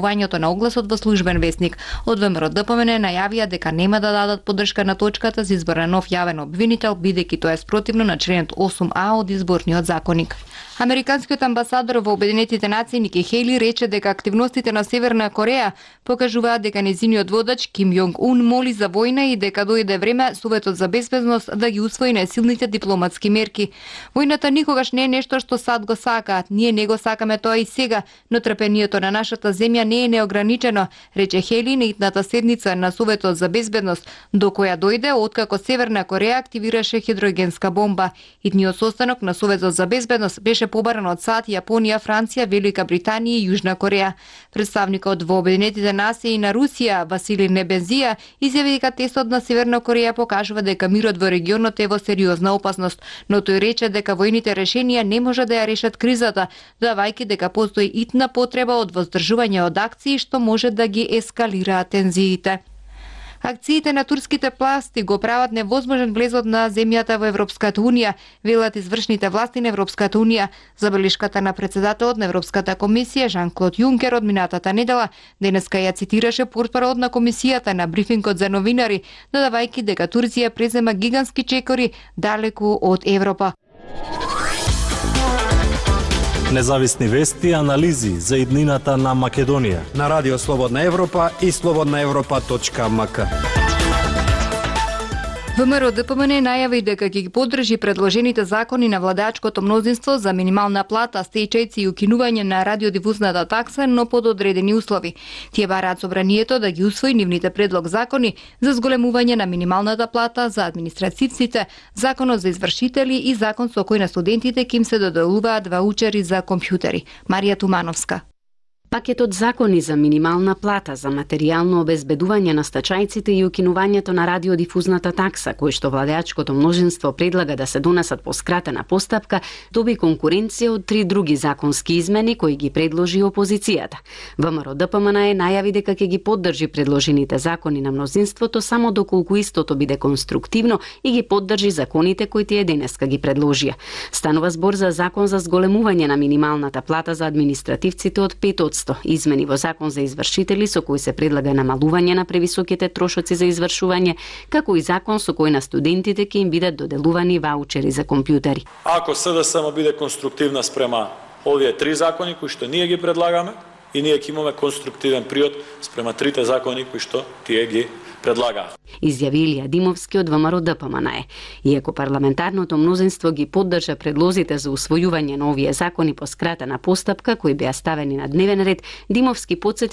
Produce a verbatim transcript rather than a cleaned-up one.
Објавувањето на огласот во службен весник. Од ВМРО-ДПМН најавија дека нема да дадат поддршка на точката за избор на нов јавен обвинител, бидејќи тоа е спротивно на членот осум а од изборниот законник. Американскиот амбасадор во Обединетите нации Ники Хејли рече дека активностите на Северна Кореја покажуваат дека незиниот водач Ким Јонг Ун моли за војна и дека дојде време Советот за безбедност да ги усвои најсилните дипломатски мерки. Војната никогаш не е нешто што сад го сакаат. Ние не го сакаме тоа и сега, но трпението на нашата земја не е неограничено, рече Хејли на итната седница на Советот за безбедност, до која дојде откако Северна Кореја активираше хидрогенска бомба. Итниот состанок на Советот за безбедност беше побаран од САД, Јапонија, Франција, Велика Британија и Јужна Кореја. Представникот во Обединетите нации на Русија, Васили Небензија, изјави дека тестот на Северна Кореја покажува дека мирот во регионот е во сериозна опасност, но тој рече дека војните решенија не може да ја решат кризата, давајќи дека постои итна потреба од воздржување од акции што може да ги ескалираат тензиите. Акциите на турските власти го прават невозможен влезот на земјата во Европската унија, велат извршните власти на Европската унија. Забелешката на председателот на Европската комисија Жан-Клод Јункер од минатата недела денеска ја цитираше портпаролот на комисијата на брифингот за новинари, додавајќи дека Турција презема гигантски чекори далеку од Европа. Независни вести и анализи за иднината на Македонија на Радио Слободна Европа и слободна европа точка ем ка. ВМРО-ДПМН најави дека ќе ги поддржи предложените закони на владеачкото мнозинство за минимална плата, стечајци и укинување на радиодифузната такса, но под одредени услови. Тие бараат собранието да ги усвои нивните предлог закони за зголемување на минималната плата за административците, законот за извршители и закон со кој на студентите ќе им се доделуваат ваучери за компјутери. Марија Тумановска. Пакетот закони за минимална плата, за материјално обезбедување на стачајците и укинувањето на радиодифузната такса, кој што владеачкото мнозинство предлага да се донесат по скратена постапка, доби конкуренција од три други законски измени кои ги предложи опозицијата. ВМРО-ДПМН најави дека ќе ги поддржи предложените закони на мнозинството само доколку истото биде конструктивно и ги поддржи законите кои тие денеска ги предложија. Станува збор за закон за зголемување на минималната плата за административците од пет одсто, измени во закон за извршители со кој се предлага намалување на превисоките трошоци за извршување, како и закон со кој на студентите ќе им бидат доделувани ваучери за компјутери. Ако СДСМ биде конструктивна спрема овие три закони кои што ние ги предлагаме, и ние ќе имаме конструктивен приод спрема трите закони кои што тие ги предлагаат. Изјави Илија Димовски од ВМРО-ДПМН. Иако парламентарното мнозинство ги поддржа предлозите за усвојување на овие закони по скратена постапка кои беа ставени на дневен ред, Димовски потсети